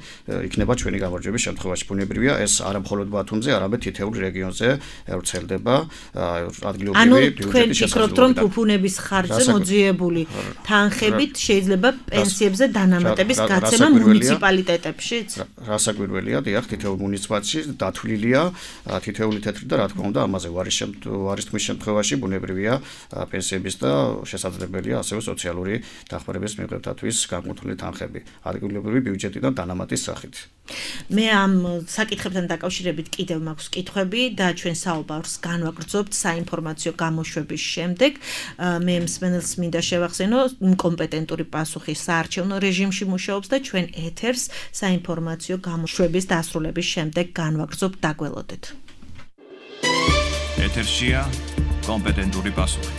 იქნება ჩვენი გამარჯვების შემთხვევაში. ბუნებრივია, ეს არა მხოლოდ ბათუმზე, არამედ თითოეულ რეგიონზე ვრცელდება ადგილობრივი ბიუჯეტის შესაძლებლობა. თქვენ ფიქრობთ, რომ ფუფუნების ხარჯზე მოძიებული თანხებით შეიძლება პენსიებზე დანამატების გაცემა მუნიციპალიტეტებშიც? რასაკვირველია, დიახ, თითოეულ მუნიციპალიტეტში დათვლილია თითოეული თეთრი და რა თქმა უნდა, ამაზე ვარის შემთხვევაში ბუნებრივია პენსიების და შესაძლებელია ასევე სოციალური დახმარების მიღებისათვის განკუთვნილი თანხები ადგილობრივი ბიუჯეტიდან დანამატის სახით. მე ამ საკითხებთან დაკავშირებით კიდევ მაქვს კითხვები და ჩვენ საუბარს განვაგრძობთ საინფორმაციო გამოშვების შემდეგ. მე მსმენელს მინდა შევახსენო, კომპეტენტური პასუხი საარჩევნო რეჟიმში მუშაობს და ჩვენ ეთერს საინფორმაციო გამოშვების დასრულების შემდეგ განვაგრძობთ, დაგველოდეთ. ეთერშია კომპეტენტური პასუხი.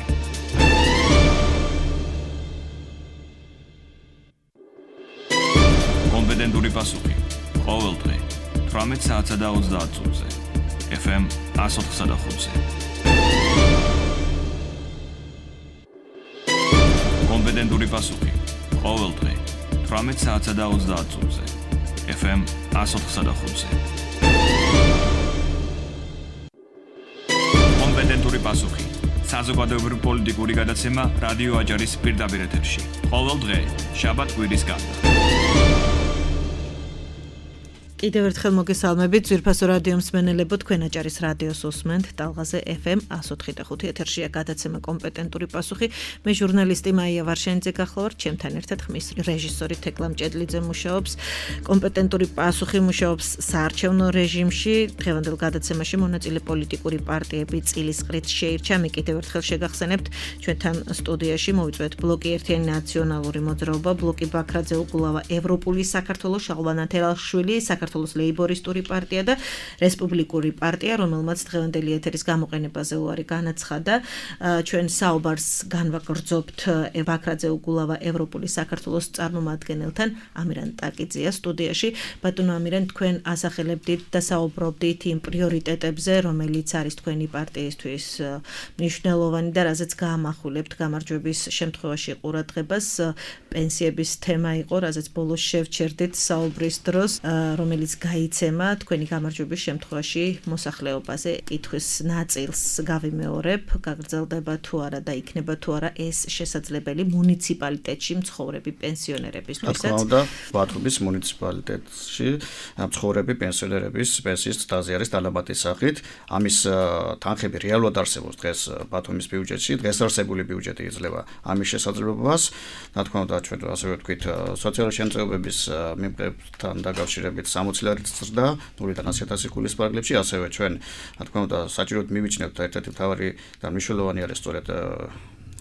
კომპეტენტური პასუხი. ყოველ დღე 18 საათსა და 30 წუთზე. FM 104.5-ზე. კომპეტენტური პასუხი. ყოველ დღე 18 საათსა და 30 წუთზე. FM 104.5-ზე. კომპეტენტური პასუხი. საზოგადოებრივი პოლიტიკური გადაცემა რადიო აჯარის პირდაპირ ეთერში. ყოველ დღე, შაბათ-კვირის გარდა. კიდევ ერთხელ მოგესალმებით, ძვირფასო რადიო მსმენელებო, თქვენ აჭარის რადიოს უსმენთ, ტალღაზე FM 104.5 ეთერშია გადაცემა კომპეტენტური პასუხი. მე ჟურნალისტი მაია ვარშენიძე გახლავართ, ჩემთან ერთად ხმის რეჟისორი თეკლა მჭედლიძე მუშაობს. კომპეტენტური პასუხი მუშაობს საარჩევნო რეჟიმში. დღევანდელ გადაცემაში მონაწილე პოლიტიკური პარტიები წილის ყრით შეირჩა. მე კიდევ ერთხელ შეგახსენებთ, ჩვენთან სტუდიაში მოვიწვევთ ბლოკი ერთიანი ნაციონალური მოძრაობა, ბლოკი ბაქრაძე უგულავა, ევროპული საქართველოს, შალვა ნათელაშვილი, საქართველოს ლეიბორისტური პარტია და რესპუბლიკური პარტია, რომელმაც დღევანდელი ეთერის გამოყენებაზე უარი განაცხადა. ჩვენ საუბარს განვაგრძობთ ბაქრაძე უგულავა ევროპული საქართველოს წარმომადგენელთან, ამირან ტაკიძეა სტუდიაში. ბატონო ამირან, თქვენ ასახელებდით და საუბრობდით იმ პრიორიტეტებზე, რომელიც არის თქვენი პარტიისთვის მნიშვნელოვანი და რაზეც გაამახვილებთ გამარჯვების შემთხვევაში ყურადღებას. პენსიების თემა იყო, რაზეც ბოლოს შევჩერდით საუბრის დროს, რომელიც გაიცემა თქვენი გამარჯვების შემთხვევაში მოსახლეობაზე. კითხვის ნაწილს გავიმეორებ, გაგრძელდება თუ არა და იქნება თუ არა ეს შესაძლებელი მუნიციპალიტეტში მცხოვრები პენსიონერებისთვისაც. რა თქმა უნდა, ბათუმის მუნიციპალიტეტში მცხოვრები პენსიონერების პენსიის ცდაზე არის დანამატის სახით. ამის თანხები რეალურად არსებობს დღეს ბათუმის ბიუჯეტში, დღეს არსებული ბიუჯეტი იძლევა ამის შესაძლებლობას. რა თქმა უნდა, ჩვენ ასევე ვთქვით, სოციალური შემწეობების მიღებთან დაკავშირებით 60 ლარით ზრდა 0-დან 100.000 გულის პარკლებში, ასევე ჩვენ, რა თქმა უნდა, საჭიროდ მივიჩნევთ და ერთ-ერთი მთავარი და მნიშვნელოვანი არის სწორედ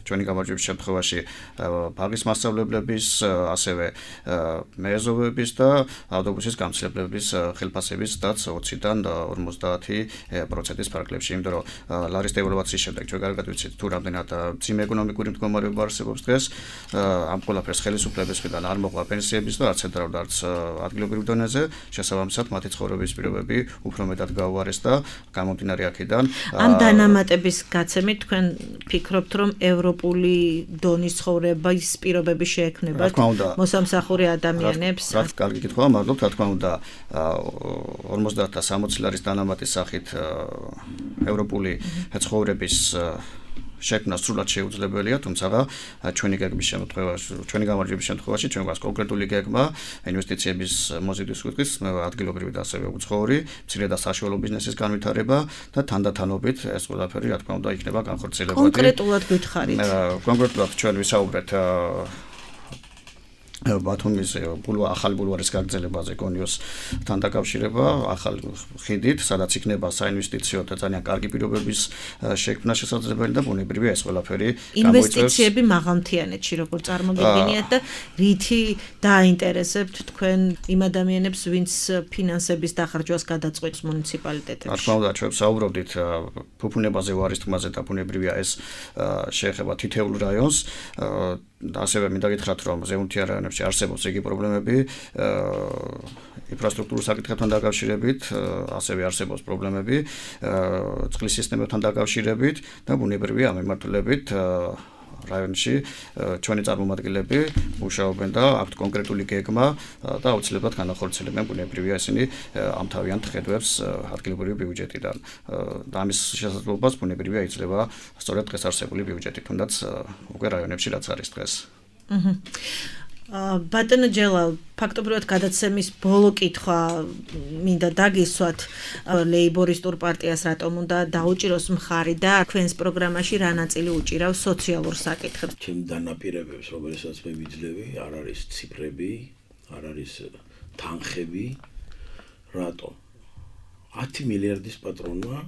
ჩვენი გამარჯვების შემთხვევაში ბაღის მასწავლებლების, ასევე მეეზოვების და ავტობუსის გამცირებლების ხელფასების დაც 20-დან 50% პარკლებში, იმიტომ რომ ლარის დევალვაციის შემდეგ ჩვენ კარგად ვიცით თუ რამდენად ძიმე ეკონომიკური მდგომარეობა არსებობს დღეს, ამ ყველაფერს ხელისუფლების მხრიდან არ მოყვა პენსიების და არც ცენტრალურ არც ადგილობრივ დონეზე, შესაბამისად მათი ცხოვრების პირობები უფრო მეტად გაუარეს და გამომდინარე აქედან ამ დანამატების გაცემით თქვენ ფიქრობთ, რომ ევროპული დონის ცხოვრების პირობები შეექმნებათ მოსამსახური ადამიანებს? კარგი კითხვაა, მადლობთ. რა თქმა უნდა, 50 და 60 ლარის დანამატის სახით ევროპული ცხოვრების შექმნა სრულად შეუძლებელია, თუმცა ჩვენი გეგმის შემთხვევაში, ჩვენი გამარჯვების შემთხვევაში ჩვენ გვაქვს კონკრეტული გეგმა ინვესტიციების მოზიდვის კუთხით, ადგილობრივი და ასევე უცხოური, მცირე და საშუალო ბიზნესის განვითარება და თანდათანობით ეს ყველაფერი, რა თქმა უნდა, იქნება განხორციელებული. კონკრეტულად გითხარით. კონკრეტულად ჩვენ ვისაუბრეთ ბათუმის ახალი ბულვარის გაგრძელებაზე კონიოსთან დაკავშირება, ახალ ხიდით, სადაც იქნება საინვესტიციო და ძალიან კარგი პირობების შექმნა შესაძლებელი და ბუნებრივია ეს ყველაფერი გამოიწვევს ინვესტიციები მაღალმთიანეთში, როგორ წარმოგიდგენიათ და რითი დაინტერესებთ თქვენ იმ ადამიანებს, ვინც ფინანსების დახარჯვას გადაწყვეტს მუნიციპალიტეტებში? რა თქმა უნდა, ჩვენ საუბრობდით ფუფუნებაზე, ვარის თქმაზე და ბუნებრივია ეს შეეხება თითოეულ რაიონს. ასევე მინდა გითხრათ, რომ ზემოთიან რაიონებში არსებობს იგი პრობლემები ინფრასტრუქტურულ საკითხებთან დაკავშირებით, ასევე არსებობს პრობლემები წყლის სისტემებთან დაკავშირებით და ბუნებრივია ამ მიმართულებით რაიონში ჩვენი წარმომადგენლები მუშაობენ და აქვთ კონკრეტული გეგმა და აუცილებლად განახორციელებენ ბუნებრივია ისინი ამ თავიანთ ხედვებს ადგილობრივი ბიუჯეტიდან და ამის შესაძლებლობას ბუნებრივია იძლევა სწორედ დღეს არსებული ბიუჯეტი, თუნდაც უკვე რაიონებში რაც არის დღეს. ბატონო ჯელალ, ფაქტობრივად გადაცემის ბოლო კითხვა მინდა დაგისვათ ლეიბორისტურ პარტიას რატომ უნდა დაუჭიროს მხარი და თქვენს პროგრამაში რა ნაწილი უჭირავს სოციალურ საკითხებს? ჩემ დანაპირებებს, რომელსაც მე ვიძლევი, არ არის ციფრები, არ არის თანხები, რატომ? 10 მილიარდის პატრონმა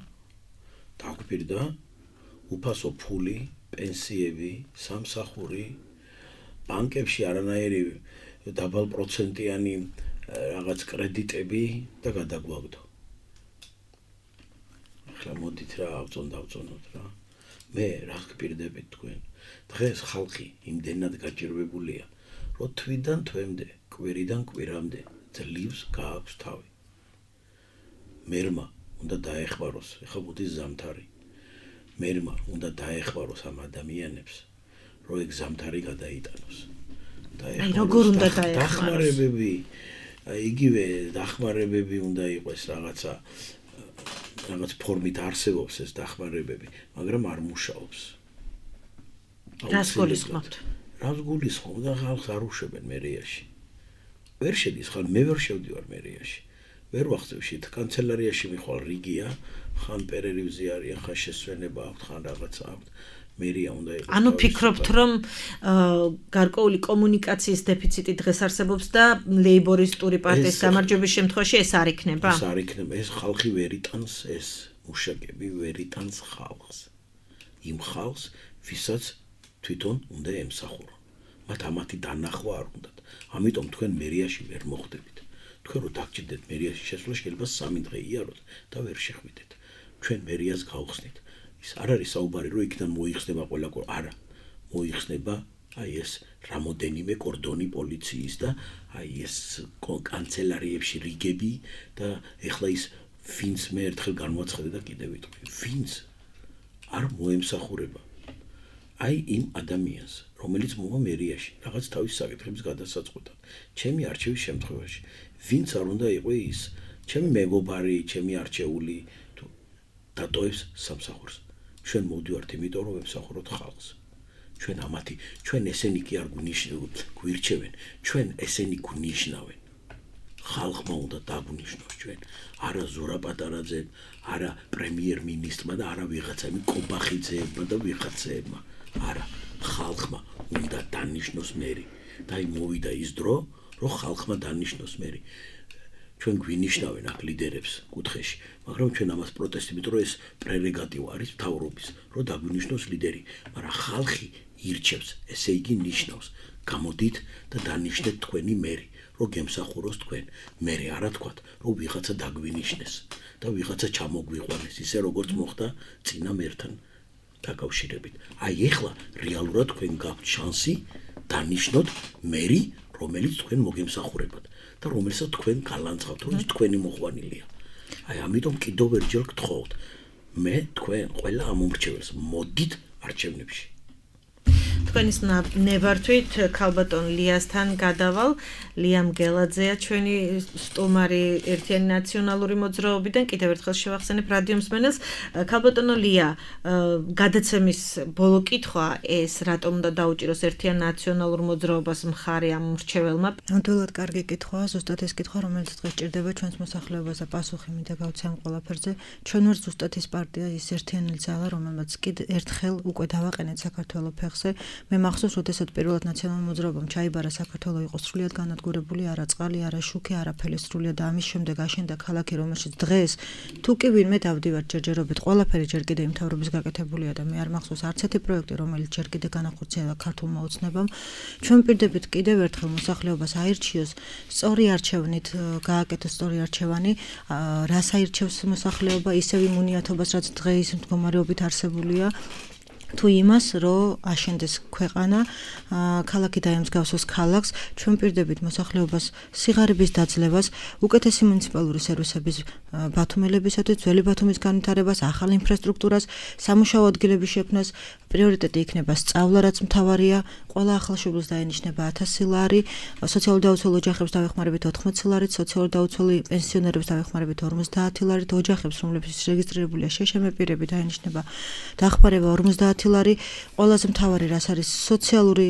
დაგვირდა უფასო ფული, პენსიები, სამსახური ბანკებში არანაირი დაბალპროცენტიანი რაღაც კრედიტები და გადაგვაგდო. ახლა მოდით რა ავწონდავწონოთ რა. მე რა გპირდებით თქვენ. დღეს ხალხი იმდენად გაჭირვებულია, რომ თვიდან თვემდე, კვირიდან კვირამდე ძლივს გააქვს თავი. მერმა უნდა დაეხმაროს, ეხლა მოდის ზამთარი. მერმა უნდა დაეხმაროს ამ ადამიანებს. რო ეგ ზამთარი გადაიტანოს. აი როგორ უნდა დაეხმაროს? დახმარებები, იგივე დახმარებები უნდა იყოს რაღაც ფორმით არსებობს ეს დახმარებები, მაგრამ არ მუშაობს. რას გულისხმობთ? რას გულისხმობ და ხალხს არ უშვებენ მერიაში. ვერ შედის ხან მე ვერ შევდივარ მერიაში. ვერ ვახცევ შეთ კანცელარიაში მიხვალ რიგია, ხან პერერივზი არის, ხან შესვენება აქვს, ხან რაღაცა აქვს. მერია უნდა იყოს. ანუ ფიქრობთ, რომ გარკვეული კომუნიკაციის დეფიციტი დღეს არსებობს და ლეიბორისტური პარტიის გამარჯვების შემთხვევაში ეს არ იქნება? ეს არ იქნება, ეს ხალხი ვერ იტანს, ეს მუშაკები ვერ იტანს ხალხს. იმ ხალხს, ვისაც თვითონ უნდა ემსახურონ. მათ ამათი დანახვა არ უნდათ. ამიტომ თქვენ მერიაში ვერ მოხვდებით. თქვენ რო დაგჭირდეთ მერიაში შესვლა, შეიძლება 3 დღე იაროთ და ვერ შეხვიდეთ. ჩვენ მერიას გავხსნით. ის არ არის საუბარი, რომ იქიდან მოიხსნება ყველა არა, მოიხსნება აი ეს რამოდენიმე კორდონი პოლიციის და აი ეს კანცელარიებში რიგები და ეხლა ის ვინც მე ერთხელ განვაცხადე და კიდევ ვიტყვი, ვინც არ მოემსახურება აი იმ ადამიანს, რომელიც მოვა მერიაში, რაღაც თავის საკითხების გადასაწყვეტად. ჩემი არჩევის შემთხვევაში, ვინც არ უნდა იყო ის, ჩემი მეგობარი, ჩემი არჩეული თუ დატოვებს სამსახურს. ჩვენ მოვდივართ იმიტომ, რომ ვემსახუროთ ხალხს. ჩვენ ესენი კი არ გვირჩევენ, ჩვენ ესენი გვნიშნავენ. ხალხმა უნდა დაგვნიშნოს ჩვენ, არა ზურა პატარაძემ, არა პრემიერ-მინისტრმა და არა ვიღაცამ კობახიძეებმა და ვიღაცეებმა. არა, ხალხმა უნდა დანიშნოს მერი. და აი მოვიდა ის დრო, რომ ხალხმა დანიშნოს მერი. ჩვენ გვინიშნავენ აქ ლიდერებს კუთხეში, მაგრამ ჩვენ ამას პროტესტი, იმიტომ რომ ეს პრერეგატივა არის მთავრობის, რომ დაგვინიშნოს ლიდერი, მაგრამ ხალხი ირჩევს, ესე იგი ნიშნავს. გამოდით და დანიშნეთ თქვენი მერი, რომ გემსახუროს თქვენ. მერე არა თქვათ, რომ ვიღაცა დაგვინიშნეს და ვიღაცა ჩამოგვიყვანეს, ისე როგორც მოხდა წინა მერთან დაკავშირებით. აი ეხლა რეალურად თქვენ გაქვთ შანსი დანიშნოთ მერი, რომელიც თქვენ მოგემსახურებათ. და რომელსაც თქვენ გალანძღავთ, რომ ის თქვენი მოყვანილია. აი ამიტომ კიდევ ერთხელ გთხოვთ, მე თქვენ ყველა ამომრჩეველს მოდით არჩევნებში. თქვენის ნებართვით ქალბატონ ლიასთან გადავალ. ლიამ გელაძეა ჩვენი სტუმარი ერთიანი ნაციონალური მოძრაობიდან. კიდევ ერთხელ შევახსენებ რადიო მსმენელს. ქალბატონო ლია, გადაცემის ბოლო კითხვა ეს რატომ უნდა დაუჭიროს ერთიან ნაციონალურ მოძრაობას მხარი ამ მრჩეველმა? ნამდვილად კარგი კითხვაა, ზუსტად ეს კითხვა, რომელიც დღეს ჭირდება ჩვენს მოსახლეობას და პასუხი მინდა გავცე ამ ყველაფერზე. ჩვენ ვართ ზუსტად ის პარტია, ის ერთიანი ძალა, რომელმაც კიდევ ერთხელ უკვე დავაყენეთ საქართველოს ფეხზე. მე მახსოვს, როდესაც პირველად ნაციონალურ მოძრაობამ ჩაიბარა საქართველოს იყო სრულიად განადგურებული, არა წყალი, არა შუქი, არაფერი სრულიად და ამის შემდეგ აშენდა ქალაქი, რომელშიც დღეს თუ კი ვინმე დავდივართ ჯერჯერობით, ყველაფერი ჯერ კიდევ იმ მთავრობის გაკეთებულია და მე არ მახსოვს არც ერთი პროექტი, რომელიც ჯერ კიდევ განახორციელა ქართულმა ოცნებამ. ჩვენ პირდებით კიდევ ერთხელ მოსახლეობას აირჩიოს სწორი არჩევნით, გააკეთოს სწორი არჩევანი, რას აირჩევს მოსახლეობა, ისევ იმ უნიათობას, რაც დღეს მდგომარეობით არსებულია. თუ იმას, რომ აშენდეს ქვეყანა, ქალაქი დაემსგავსოს ქალაქს, ჩვენ პირდებით მოსახლეობას სიღარიბის დაძლევას, უკეთესი მუნიციპალური სერვისების ბათუმელებისათვის, ძველი ბათუმის განვითარებას, ახალ ინფრასტრუქტურას, სამუშაო ადგილების შექმნას, პრიორიტეტი იქნება სწავლა, რაც მთავარია, ყველა ახალშობილს დაენიშნება 1000 ლარი, სოციალურ დაუცველ ოჯახებს დავეხმარებით 80 ლარით, სოციალურ დაუცველ პენსიონერებს დავეხმარებით 50 ლარით, ოჯახებს, რომლებიც რეგისტრირებულია შეშემე პირები დაენიშნება დახმარება 50 ლარი, ყველაზე მთავარი რაც არის სოციალური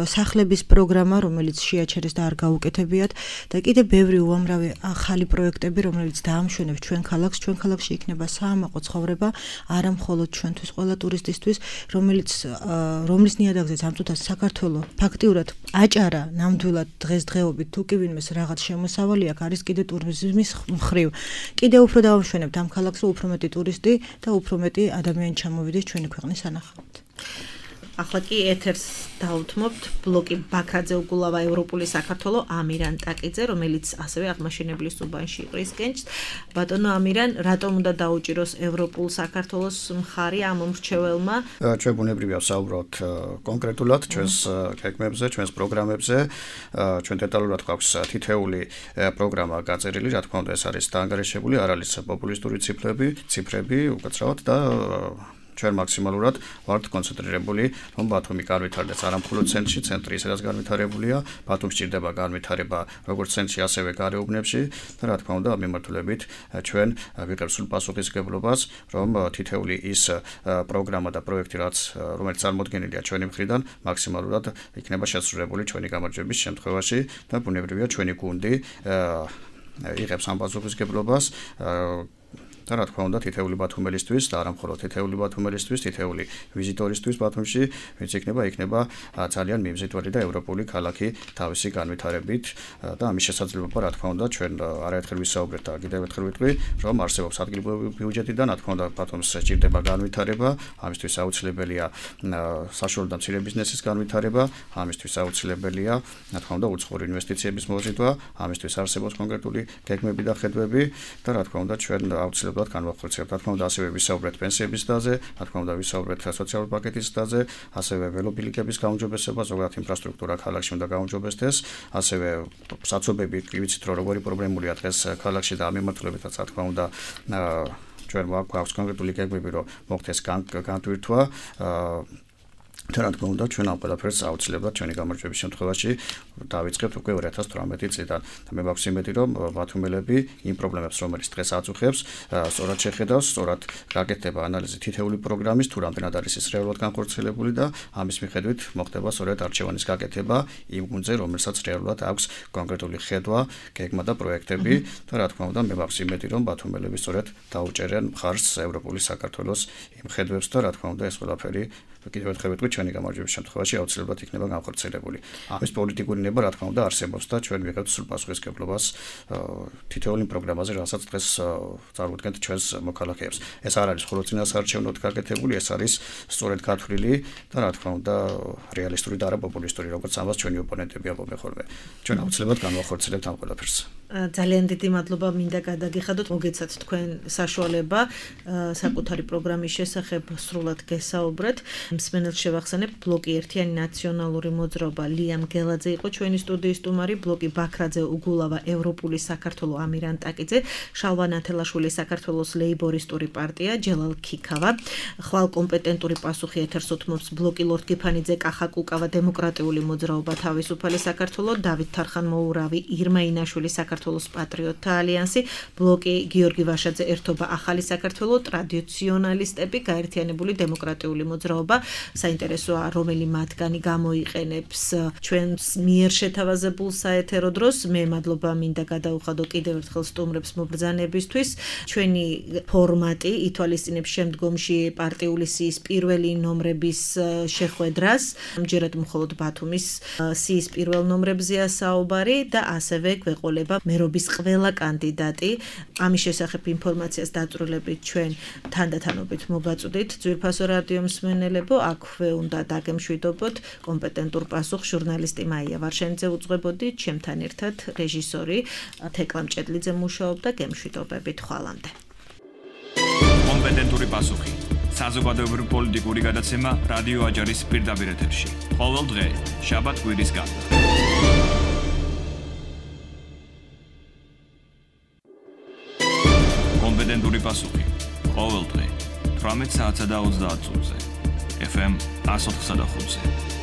სახლების პროგრამა, რომელიც შეაჩერეს და არ გაუკეთებიათ და კიდევ ბევრი უამრავი ახალი პროექტები, რომელიც დაამშვენებს ჩვენ ქალაქს, ჩვენ ქალაქში იქნება საამაყო ცხოვრება, არა მხოლოდ ჩვენთვის, ყველა ტურისტისთვის, რომლის ნიადაგზეც ამ წუთას საქართველოს ფაქტიურად აჭარა ნამდვილად დღესდღეობით თუ კი ვინმეს რაღაც შემოსავალი აქ არის კიდე ტურიზმის მხრივ. კიდე უფრო დავამშვენებთ ამ ქალაქს, უფრო მეტი ტურისტი და უფრო მეტი ადამიანი ჩამოვიდეს ჩვენი ქვეყნის სანახავად. ახლა კი ეთერს დავუთმობთ ბლოკი ბაქრაძე უგულავა ევროპული საქართველო ამირან ტაკიძე, რომელიც ასევე აღმაშენებლის უბანში იყრის კენჭს. ბატონო ამირან, რატომ უნდა დაუჭიროს ევროპულ საქართველოს მხარი ამ მრჩეველმა? ჩვენ ბუნებრივია ვსაუბროთ კონკრეტულად ჩვენს გეგმებზე, ჩვენს პროგრამებზე. ჩვენ დეტალურად გვაქვს თითეული პროგრამა გაწერილი, რა თქმა უნდა ეს არის დაანგარიშებული, არ არის პოპულისტური ციფრები, უკაცრავად და ჩვენ მაქსიმალურად ვართ კონცენტრირებული, რომ ბათუმი განვითარდეს არა მხოლოდ ცენტრში, ცენტრი ისედაც განვითარებულია, ბათუმს სჭირდება განვითარება როგორც ცენტრში, ასევე გარეუბნებში და რა თქმა უნდა, ამ მიმართულებით ჩვენ ვიღებთ სულ პასუხისმგებლობას, რომ თითეული ის პროგრამა და პროექტი, რომელიც წარმოდგენილია ჩვენი მხრიდან, მაქსიმალურად იქნება შესრულებული ჩვენი გამარჯვების შემთხვევაში და ბუნებრივია ჩვენი გუნდი იღებს ამ პასუხისმგებლობას და რა თქმა უნდა თითეული ბათუმელისთვის და არა მხოლოდ თითეული ბათუმელისთვის, თითეული ვიზიტორისთვის ბათუმში, ვინც იქნება ძალიან მიმზიდველი და ევროპული ქალაქი თავისი განვითარებით და ამის შესაძლებლობა რა თქმა უნდა ჩვენ არაერთხელ ვისაუბრეთ და კიდევ ერთხელ ვიტყვი, რომ არსებობს ადგილობრივი ბიუჯეტი და რა თქმა უნდა ბათუმს სჭირდება განვითარება, ამისთვის აუცილებელია საშუალო და მცირე ბიზნესის განვითარება, ამისთვის აუცილებელია რა თქმა უნდა უცხოური ინვესტიციების მოზიდვა, ამისთვის არსებობს კონკრეტული გეგმები და ხედვები და რა თქმა უნდა ჩვენ აუცილებლად განვახორციელებთ. რა თქმა უნდა, ასევე ვისაუბრეთ პენსიების დაზე, რა თქმა უნდა, ვისაუბრეთ სოციალურ პაკეტის დაზე, ასევე ველობილიკების გაუმჯობესება, ზოგადად ინფრასტრუქტურა ქალაქში უნდა გაუმჯობესდეს, ასევე საცობები, ვიცით, რომ როგორი პრობლემულია დღეს ქალაქში და ამ მიმართულებითაც, რა თქმა უნდა, ჩვენ გვაქვს კონკრეტული გეგმები, რომ მოხდეს განტვირთვა და რა თქმა უნდა, ჩვენ ამ ყველაფერს აუცილებლად ჩვენი გამარჯვების შემთხვევაში დავიწყებთ უკვე 2018 წლიდან. და მე მაქვს იმედი, რომ ბათუმელები იმ პრობლემებს, რომელიც დღეს აწუხებს, სწორად შეხედავს, სწორად გაკეთდება ანალიზი თითეული პროგრამის, თუ რამდენად არის ის რეალურად განხორციელებული და ამის მიხედვით მოხდება სწორედ არჩევანის გაკეთება იმ გუნდზე, რომელსაც რეალურად აქვს კონკრეტული ხედვა, გეგმა და პროექტები და რა თქმა უნდა, მე მაქვს იმედი, რომ ბათუმელები სწორედ დაუჭერენ მხარს ევროპული საქართველოს იმ ხედვებს და რა თქმა უნდა, ეს ყველაფერი კიდევ ერთხელ ვიტყვი, ჩვენი გამარჯვების შემთხვევაში აუცილებლად იქნება განხორციელებული. ამის პოლიტიკური ნება რა თქმა უნდა არსებობს და ჩვენ ვიღებთ სულ პასუხისმგებლობას თითოეული პროგრამაზე, რასაც დღეს წარუდგენთ ჩვენს მოქალაქეებს. ეს არ არის მხოლოდ წინასაარჩევნოდ გაკეთებული, ეს არის სწორედ გათვლილი და რა თქმა უნდა რეალისტური და არა პოპულისტური, როგორც ამას ჩვენი ოპონენტები ამბობენ ხოლმე. ჩვენ აუცილებლად განვახორციელებთ ამ ყველაფერს. ძალიან დიდი მადლობა მინდა გადაგიხადოთ, მოგეცათ თქვენ საშუალება საკუთარი პროგრამის შესახებ სრულად გესაუბრეთ. მსმენელს შევახსენებ, ბლოკი ერთიანი ნაციონალური მოძრაობა ლიამ გელაძე იყო ჩვენი სტუდიის სტუმარი, ბლოკი ბაქრაძე უგულავა ევროპული საქართველო ამირან ტაკიძე, შალვა ნათელაშვილი საქართველოს ლეიბორისტური პარტია ჯელალ ქიქავა, ხვალ კომპეტენტური პასუხი ეთერს უთმობს ბლოკი ლორდ გიფანიძე კახაკუკავა დემოკრატიული მოძრაობა თავისუფალი საქართველო, დავით თარხან-მოურავი ირმა ინაშვილი საქართველოს პატრიოტთა ალიანსი, ბლოკი გიორგი ვაშაძე ერთობა ახალი საქართველო, ტრადიციონალისტები, გაერთიანებული დემოკრატიული მოძრაობა. საინტერესოა, რომელი მათგანი გამოიყენებს ჩვენს მიერ შეთავაზებულ საეთერო დროს. მე მადლობა მინდა გადაუხადო კიდევ ერთხელ სტუმრებს მობრძანებისთვის. ჩვენი ფორმატი ითვალისწინებს შემდგომში პარტიული სიის პირველი ნომრების შეხვედრას. ამჯერად მხოლოდ ბათუმის სიის პირველ ნომრებზეა საუბარი და ასევე გვეყოლება მერობის ყველა კანდიდატი. ამის შესახებ ინფორმაციას დაწვრილებით ჩვენ თანდათანობით მოგაწვდით ძვირფასო რადიო მსმენელებო, აქვე უნდა დაგემშვიდობოთ კომპეტენტურ პასუხს ჟურნალისტი მაია ვარშენიძე უძღვებოდი, ჩემთან ერთად რეჟისორი თეკლა მჭედლიძე მუშაობდა, გემშვიდობებით ხვალამდე. კომპეტენტური პასუხი საზოგადოებრივი პოლიტიკური გადაცემა რადიო აჯარის პირდაპირ ეთერში. ყოველ დღე, შაბათ-კვირის გარდა. კომპეტენტური პასუხი. ყოველ დღე, 18 საათსა და 30 წუთზე. FM 104.5-ზე.